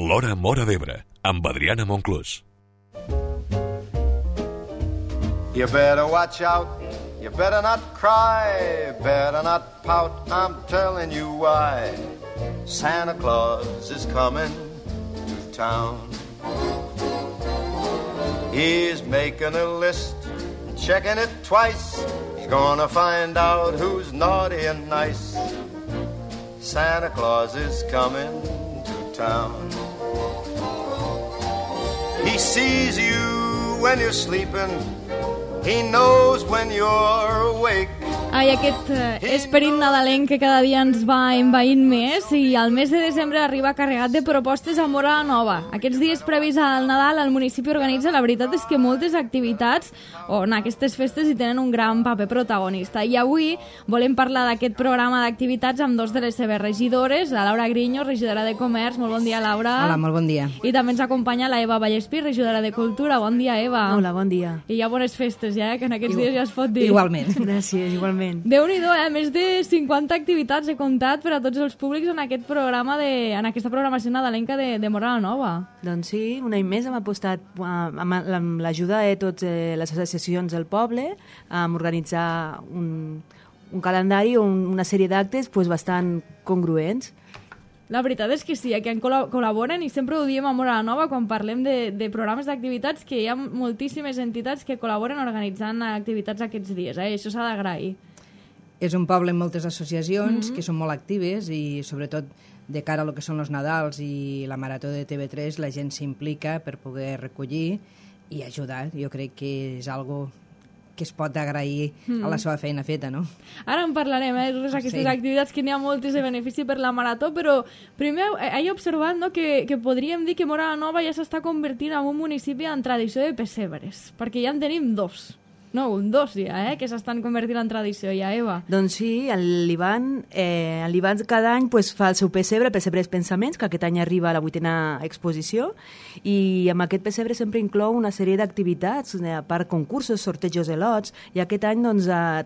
L'Hora Móra d'Ebre, amb Adriana Monclús. You better watch out, you better not cry, better not pout, I'm telling you why. Santa Claus is coming to town. He's making a list, checking it twice. He's gonna find out who's naughty and nice. Santa Claus is coming to town. He sees you when you're sleeping. He knows when you're awake. Ai, aquest esperit nadalenc que cada dia ens va envaint més, i el mes de desembre arriba carregat de propostes a Móra la Nova. Aquests dies previs al Nadal el municipi organitza, la veritat és que moltes activitats on aquestes festes hi tenen un gran paper protagonista. I avui volem parlar d'aquest programa d'activitats amb dos de les seves regidores, la Laura Griño, regidora de Comerç. Molt bon dia, Laura. Hola, molt bon dia. I també ens acompanya la Eva Vallespí, regidora de Cultura. Bon dia, Eva. Hola, bon dia. I hi ha bones festes, ja, que en aquests dies ja es pot dir. Igualment. Gràcies, igualment. Déu-n'hi-do, més de 50 activitats he comptat per a tots els públics en aquest programa en aquesta programació nadalenca de Móra la Nova. Doncs sí, un any més hem apostat amb l'ajuda de totes les associacions del poble a organitzar un calendari o una sèrie d'actes bastant congruents. La veritat és que sí, que col·laboren, i sempre ho diem a Móra la Nova quan parlem de programes d'activitats, que hi ha moltíssimes entitats que col·laboren organitzant activitats aquests dies, això s'ha d'agrair. És un poble amb moltes associacions que són molt actives, i sobretot de cara a lo que són els Nadals i la Marató de TV3 la gent s'implica per poder recollir i ajudar. Jo crec que és algo que es pot agrair a la seva feina feta, no? Ara en parlarem, totes aquestes activitats, que n'hi ha moltes de benefici per la Marató, però primer he observat, no, que podríem dir que Móra la Nova ja s'està convertint en un municipi en tradició de pessebres, perquè ja en tenim dos. No, dos ja, que s'estan convertint en tradició ja, Eva. Doncs sí, l'Ivan cada any fa el seu pessebre, Pessebres Pensaments, que aquest any arriba a la 8a exposició, i amb aquest pessebre sempre inclou una sèrie d'activitats, a part concursos, sortejos de lots, i aquest any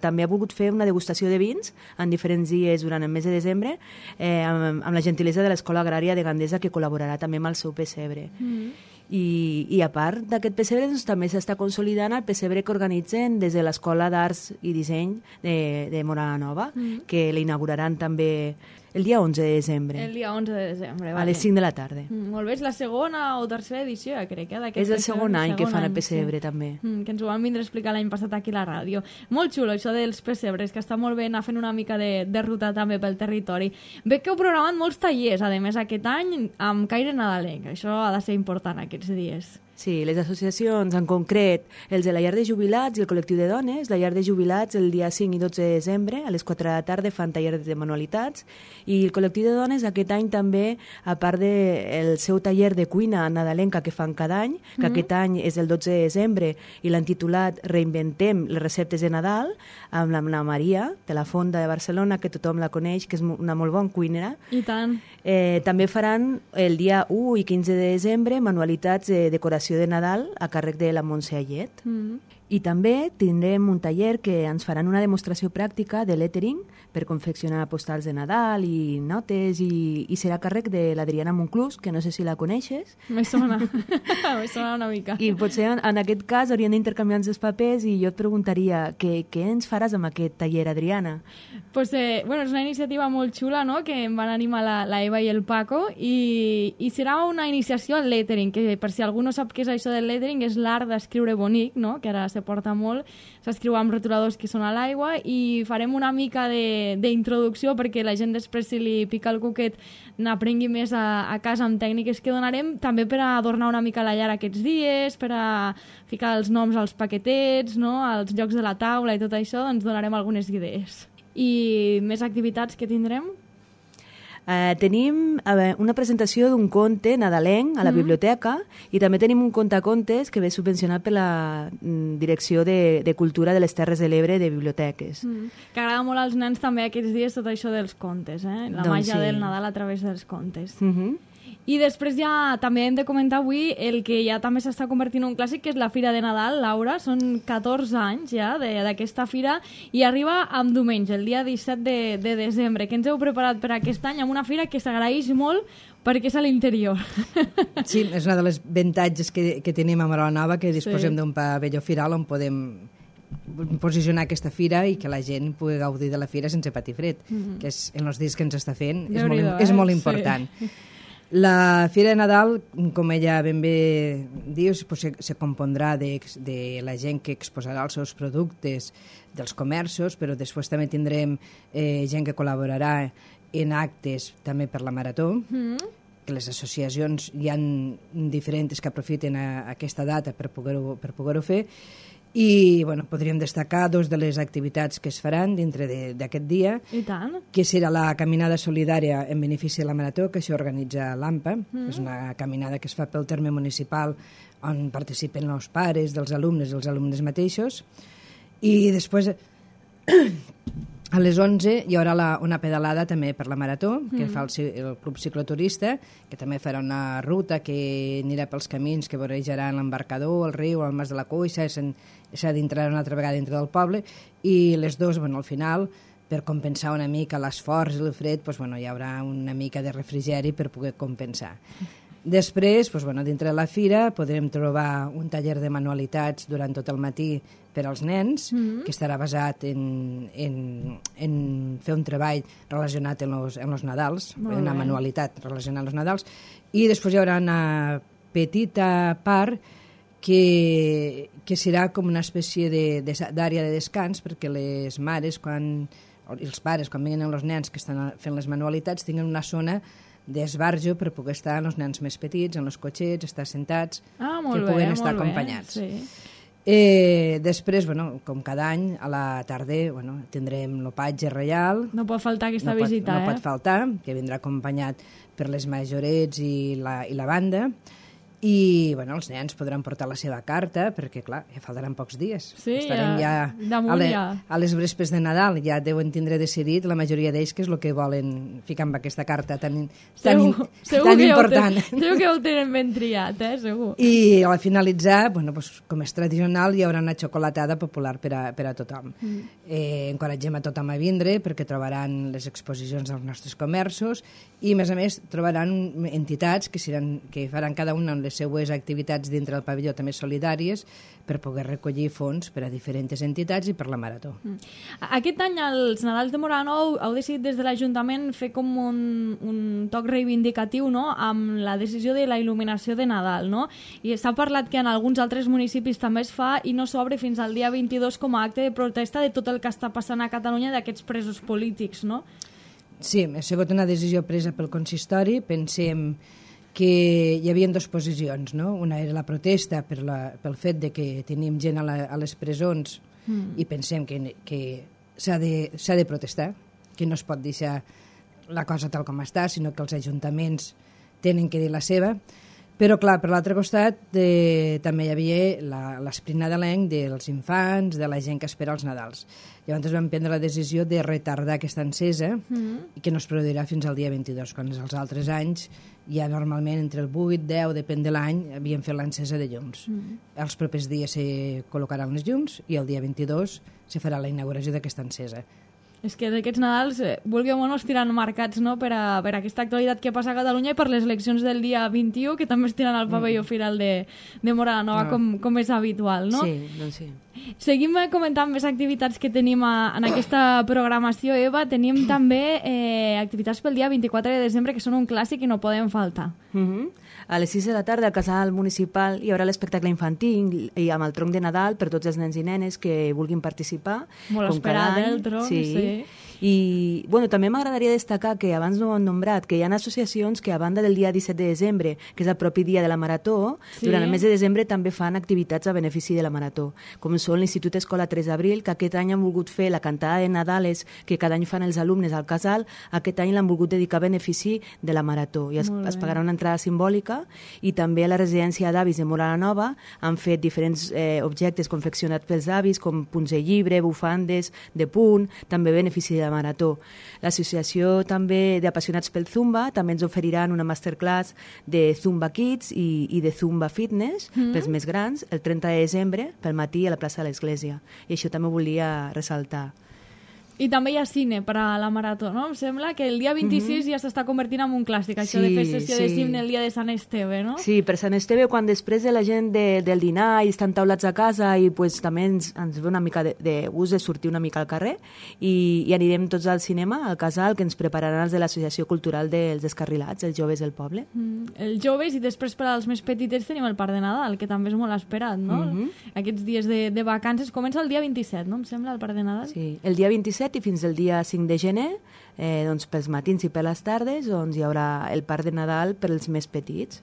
també ha volgut fer una degustació de vins en diferents dies durant el mes de desembre, amb la gentilesa de l'Escola Agrària de Gandesa, que col·laborarà també amb el seu pessebre. I a part d'aquest pessebre també s'està consolidant el pessebre que organitzen des de l'Escola d'Arts i Disseny de Móra la Nova, que l'inauguraran també el dia 11 de desembre. El dia 11 de desembre, a les 5 de la tarda. Molt bé, és la segona o tercera edició, crec, És el segon any que fan el pessebre, també. Que ens ho van vindre a explicar l'any passat aquí a la ràdio. Molt xulo, això dels pessebres, que està molt bé anar fent una mica de ruta també pel territori. Veig que heu programat molts tallers, a més, aquest any, amb caire nadalenc. Això ha de ser important aquests dies. Sí, les associacions, en concret, els de la Llar de Jubilats i el col·lectiu de dones. La Llar de Jubilats el dia 5 i 12 de desembre a les 4 de la tarda fan tallers de manualitats, i el col·lectiu de dones aquest any també, a part del seu taller de cuina nadalenca que fan cada any, que aquest any és el 12 de desembre i l'han titulat Reinventem les receptes de Nadal, amb la Maria de la Fonda de Barcelona, que tothom la coneix, que és una molt bona cuinera. I tant. També faran el dia 1 i 15 de desembre manualitats de decoració de Nadal a càrrec de la Montse Ayet. I també tindrem un taller que ens faran una demostració pràctica de lettering per confeccionar postals de Nadal i notes, i serà a càrrec de l'Adriana Monclús, que no sé si la coneixes. Me sona una mica. I potser en aquest cas haurien d'intercanviar els papers, i jo et preguntaria què ens faràs amb aquest taller, Adriana? Pues, és una iniciativa molt xula, no?, que em van animar la Eva i el Paco, i serà una iniciació al lettering, que per si algú no sap què és això del lettering, és l'art d'escriure bonic, no?, que ara se porta molt, s'escriu amb rotuladors que són a l'aigua, i farem una mica d'introducció perquè la gent després, si li pica el cuquet, n'aprengui més a casa amb tècniques que donarem, també per a adornar una mica la llar aquests dies, per a ficar els noms als paquetets, no?, als llocs de la taula i tot això, doncs donarem algunes idees. I més activitats que tindrem? Tenim una presentació d'un conte nadalenc a la biblioteca, i també tenim un contacontes que ve subvencionat per la Direcció de Cultura de les Terres de l'Ebre de Biblioteques. Que agrada molt als nens també aquests dies tot això dels contes, la màgia del Nadal a través dels contes. I després ja també hem de comentar avui el que ja també s'està convertint en un clàssic, que és la Fira de Nadal, Laura. Són 14 anys ja d'aquesta fira, i arriba amb diumenge, el dia 17 de desembre. Què ens heu preparat per aquest any? Amb una fira que s'agraeix molt perquè és a l'interior. Sí, és una de les avantatges que tenim a Móra la Nova, que disposem d'un pavelló firal on podem posicionar aquesta fira i que la gent pugui gaudir de la fira sense patir fred, que és, en els dies que ens està fent és molt important. Sí. La Fira de Nadal, com ella ben bé diu, se compondrà de la gent que exposarà els seus productes dels comerços, però després també tindrem gent que col·laborarà en actes també per la Marató, que les associacions hi ha diferents que aprofiten aquesta data per poder-ho fer, i bueno, podríem destacar dos de les activitats que es faran dintre d'aquest dia. I tant. Que serà la caminada solidària en benefici de la Marató, que això organitza l'AMPA. És una caminada que es fa pel terme municipal on participen els pares dels alumnes i els alumnes mateixos. I després, a les 11, hi haurà una pedalada també per la Marató, que fa el Club Cicloturista, que també farà una ruta que anirà pels camins que vorejaran l'embarcador, el riu, el Mas de la Coixa, s'ha d'entrar una altra vegada dintre del poble, i les dues, al final, per compensar una mica l'esforç i el fred, hi haurà una mica de refrigeri per poder compensar. Després, dintre de la fira, podrem trobar un taller de manualitats durant tot el matí per als nens, que estarà basat en fer un treball relacionat en los Nadals, una manualitat relacionada amb els Nadals, i després hi haurà una petita part que serà com una espècie d'àrea de descans, perquè les mares i els pares, quan venen els nens que estan fent les manualitats, tinguin una zona d'esbarjo per poder estar amb els nens més petits, en els cotxets, estar sentats, que puguen estar acompanyats. Després, com cada any, a la tarda tindrem l'opatge reial. No pot faltar aquesta visita, No pot faltar, que vindrà acompanyat per les majorets i la banda. I els nens podran portar la seva carta, perquè, clar, ja faltaran pocs dies. Sí, estarem ja a les vespres de Nadal, ja deuen tindre decidit la majoria d'ells què és el que volen ficar amb aquesta carta tan important. Segur que ho tenen ben triat, segur. I al finalitzar, com és tradicional, hi haurà una xocolatada popular per a tothom. Encoratgem a tothom a vindre perquè trobaran les exposicions dels nostres comerços i, a més, trobaran entitats que faran cada una les seues activitats dintre del pavelló també solidàries per poder recollir fons per a diferents entitats i per la Marató. Aquest any, als Nadals de Móra la Nova, heu decidit des de l'Ajuntament fer com un toc reivindicatiu, no?, amb la decisió de la il·luminació de Nadal, no? I s'ha parlat que en alguns altres municipis també es fa i no s'obre fins al dia 22 com a acte de protesta de tot el que està passant a Catalunya d'aquests presos polítics, no? Sí, ha sigut una decisió presa pel consistori. Pensem que hi havia dues posicions, no? Una era la protesta pel fet de que tenim gent a les presons i pensem que s'ha de protestar, que no es pot deixar la cosa tal com està, sinó que els ajuntaments tenen que dir la seva. Però, clar, per l'altre costat també hi havia l'esperit nadalenc dels infants, de la gent que espera els Nadals. Llavors vam prendre la decisió de retardar aquesta encesa i que no es produirà fins al dia 22, quan els altres anys ja normalment entre el 8 i 10, depèn de l'any, havíem fet l'encesa de llums. Els propers dies se col·locaran les llums i el dia 22 se farà la inauguració d'aquesta encesa. És que d'aquests Nadals, vulgueu o no, estiran marcats, no?, per aquesta actualitat que passa a Catalunya i per les eleccions del dia 21, que també estiran al pavelló firal de Móra la Nova, com és habitual, no? Sí, doncs sí. Seguim comentant més activitats que tenim en aquesta programació, Eva. Tenim també activitats pel dia 24 de desembre, que són un clàssic i no poden faltar. A les 6 de la tarda, al Casal Municipal, hi haurà l'espectacle infantil i amb el tronc de Nadal per tots els nens i nenes que vulguin participar. Molt esperat, el tronc, sí. I també m'agradaria destacar que abans no ho hem nombrat, que hi ha associacions que a banda del dia 17 de desembre, que és el propi dia de la Marató, durant el mes de desembre també fan activitats a benefici de la Marató, com són l'Institut Escola 3 d'Abril, que aquest any han volgut fer la cantada de Nadales que cada any fan els alumnes al casal, aquest any l'han volgut dedicar a benefici de la Marató i es pagarà una entrada simbòlica. I també a la residència d'avis de Móra la Nova han fet diferents objectes confeccionats pels avis, com punts de llibre, bufandes de punt, també benefici de la Marató. L'associació també d'apassionats pel Zumba també ens oferiran una masterclass de Zumba Kids i de Zumba Fitness pels més grans el 30 de desembre pel matí a la plaça de l'Església. I això també volia ressaltar. I també hi ha cine per a la marató, no? Em sembla que el dia 26 ja s'està convertint en un clàssic, això de fer sessió de cine el dia de Sant Esteve, no? Sí, per Sant Esteve, quan després de la gent del dinar i estan taulats a casa i pues, també ens ve una mica de gust de sortir una mica al carrer i anirem tots al cinema, al casal, que ens prepararan els de l'Associació Cultural dels Descarrilats, els joves del poble. Els joves i després per als més petitets tenim el Parc de Nadal, que també és molt esperat, no? Aquests dies de vacances comença el dia 27, no? Em sembla, el Parc de Nadal. Sí, el dia 27 i fins el dia 5 de gener, doncs pels matins i per les tardes, doncs hi haurà el Parc de Nadal per als més petits.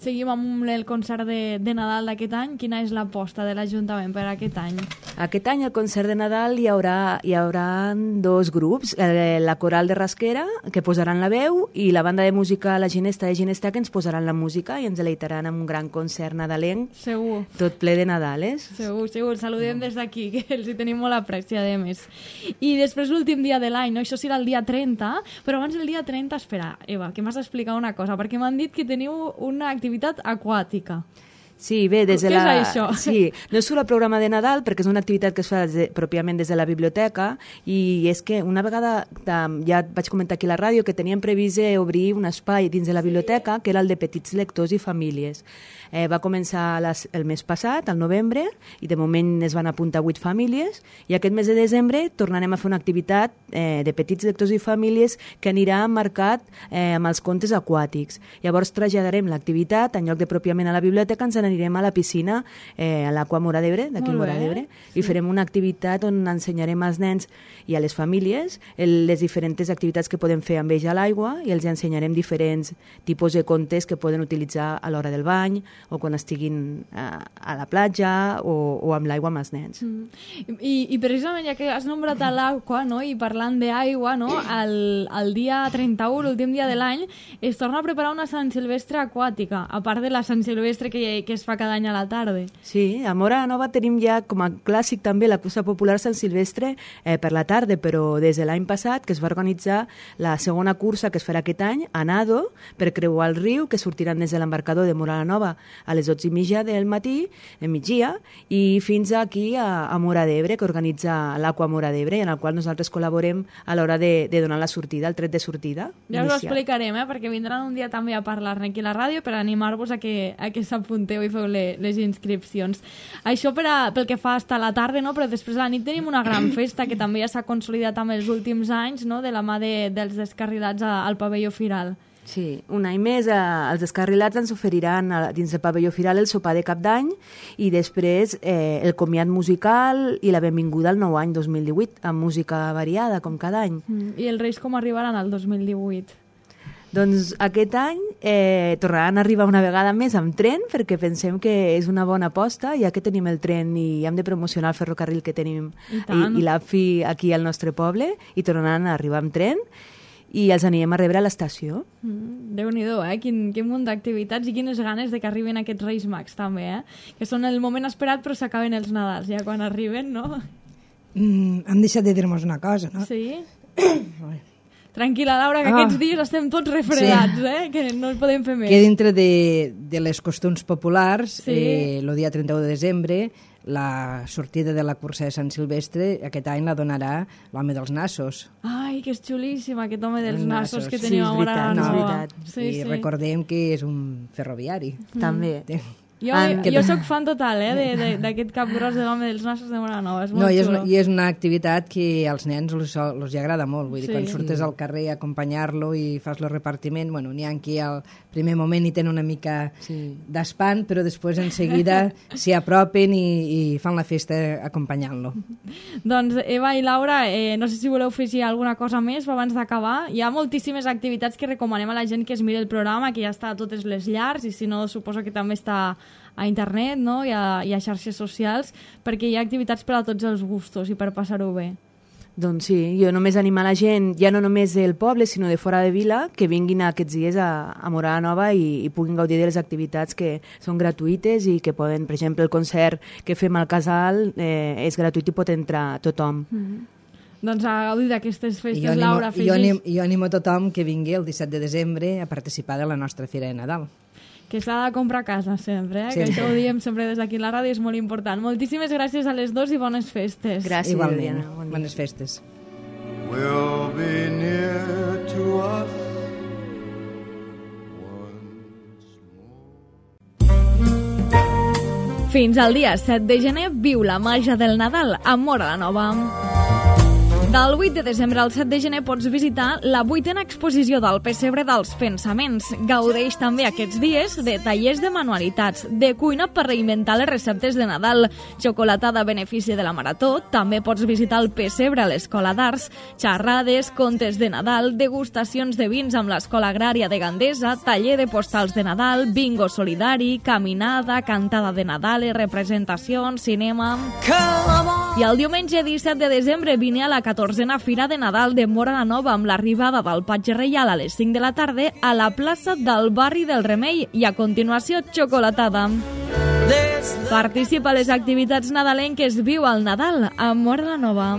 Seguim amb el concert de Nadal d'aquest any. Quina és l'aposta de l'Ajuntament per aquest any? Aquest any al concert de Nadal hi haurà dos grups, la coral de Rasquera, que posaran la veu, i la banda de música La Ginesta de Ginesta, que ens posaran la música i ens deleitaran amb un gran concert nadalenc. Segur. Tot ple de Nadales. Segur. Saludem des d'aquí, que els hi tenim molt apreci, a més. I després l'últim dia de l'any, no? Això serà el dia 30, però abans del dia 30, espera, Eva, que m'has d'explicar una cosa, perquè m'han dit que teniu una activitat aquàtica. Sí, bé, des de Què és això? Sí, no és solo el programa de Nadal, perquè és una activitat que es fa pròpiament des de la biblioteca, i és que una vegada, ja vaig comentar aquí a la ràdio, que teníem previst obrir un espai dins de la biblioteca, que era el de petits lectors i famílies. Va començar el mes passat, al novembre, i de moment es van apuntar 8 famílies, i aquest mes de desembre tornarem a fer una activitat de petits lectors i famílies que anirà marcat amb els contes aquàtics. Llavors traslladarem l'activitat, en lloc de pròpiament a la biblioteca, ens anirem a la piscina, a l'Aqua Móra d'Ebre, d'aquí a Móra d'Ebre, i farem una activitat on ensenyarem als nens i a les famílies les diferents activitats que podem fer amb ells a l'aigua, i els ensenyarem diferents tipus de contes que poden utilitzar a l'hora del bany, o quan estiguin a la platja o amb l'aigua amb els nens. I precisament, ja que has nombrat a l'aigua, no? I parlant d'aigua, no? El dia 31, l'últim dia de l'any, es torna a preparar una Sant Silvestre aquàtica, a part de la Sant Silvestre que es fa cada any a la tarda. Sí, a Móra Nova tenim ja com a clàssic també la cursa popular Sant Silvestre per la tarda, però des de l'any passat que es va organitzar la segona cursa que es farà aquest any, a nado, per creuar el riu, que sortiran des de l'embarcador de Móra Nova a les 12:30 del matí, de migdia, i fins aquí a Móra d'Ebre, que organitza l'Aqua Móra d'Ebre, en el qual nosaltres col·laborem a l'hora de donar la sortida, el tret de sortida. Ja us ho explicarem, perquè vindran un dia també a parlar-ne aquí a la ràdio per animar-vos a que s'apunteu i feu les inscripcions. Això pel que fa fins a la tarda, no? Però després a la nit tenim una gran festa que també ja s'ha consolidat amb els últims anys, no? De la mà dels Descarrilats al pavelló Firal. Sí, un any més els Descarrilats ens oferiran dins del pavelló Firal el sopar de cap d'any i després el comiat musical i la benvinguda al nou any 2018 amb música variada com cada any. I els Reis com arribaran al 2018? Doncs aquest any tornaran a arribar una vegada més amb tren, perquè pensem que és una bona aposta, ja que tenim el tren i hem de promocionar el ferrocarril que tenim i l'AFI aquí al nostre poble, i tornaran a arribar amb tren i els anirem a rebre a l'estació. Déu-n'hi-do, quin munt d'activitats i quines ganes de que arriben aquests Reis Mags també, que són el moment esperat però s'acaben els Nadals ja quan arriben, no? Hem deixat de dir-nos una cosa, no? Sí? Tranquil·la, Laura, que aquests dies estem tots refredats, que no en podem fer més. Que dintre de les costums populars, el dia 31 de desembre, la sortida de la cursa de Sant Silvestre aquest any la donarà l'home dels nassos. Ai, que és xulíssim aquest home dels nassos que tenim a Móra Nova. I recordem que és un ferroviari. També. Jo sóc fan total d'aquest cap gros de l'home dels nassos de Móra Nova, és molt xulo. I és una activitat que als nens els agrada molt, vull dir, quan surtes al carrer a acompanyar-lo i fas el repartiment, bueno, n'hi ha qui al primer moment hi tenen una mica d'espant, però després en seguida s'hi apropen i fan la festa acompanyant-lo. Doncs Eva i Laura, no sé si voleu fer alguna cosa més abans d'acabar. Hi ha moltíssimes activitats que recomanem a la gent que es miri el programa, que ja està a totes les llars, i si no, suposo que també està a internet, no? I a xarxes socials, perquè hi ha activitats per a tots els gustos i per passar-ho bé. Doncs sí, jo només animar la gent, ja no només del poble, sinó de fora de vila, que vinguin aquests dies a Móra Nova i puguin gaudir de les activitats que són gratuïtes i que poden, per exemple, el concert que fem al casal és gratuït i pot entrar tothom. Doncs a gaudir d'aquestes festes, Laura, jo animo a tothom que vingui el 17 de desembre a participar de la nostra Fira de Nadal. Que s'ha de comprar a casa sempre, que això ho diem sempre des d'aquí a la ràdio, és molt important. Moltíssimes gràcies a les dos i bones festes. Gràcies, igualment, bones festes. will be near to us once more. Fins al dia 7 de gener viu la màgia del Nadal a Móra la Nova. Del 8 de desembre al 7 de gener pots visitar la 8a exposició del Pessebre dels Pensaments. Gaudeix també aquests dies de tallers de manualitats, de cuina per reinventar les receptes de Nadal, xocolatada a benefici de la Marató, també pots visitar el Pessebre a l'Escola d'Arts, xerrades, contes de Nadal, degustacions de vins amb l'Escola Agrària de Gandesa, taller de postals de Nadal, bingo solidari, caminada, cantada de Nadal, representacions, cinema... I el diumenge 17 de desembre vine a la 14a Fira de Nadal de Móra la Nova amb l'arribada del Patge Reial a les 5 de la tarda a la plaça del barri del Remei i a continuació xocolatada. Participa a les activitats nadalenques Viu el Nadal a Móra la Nova.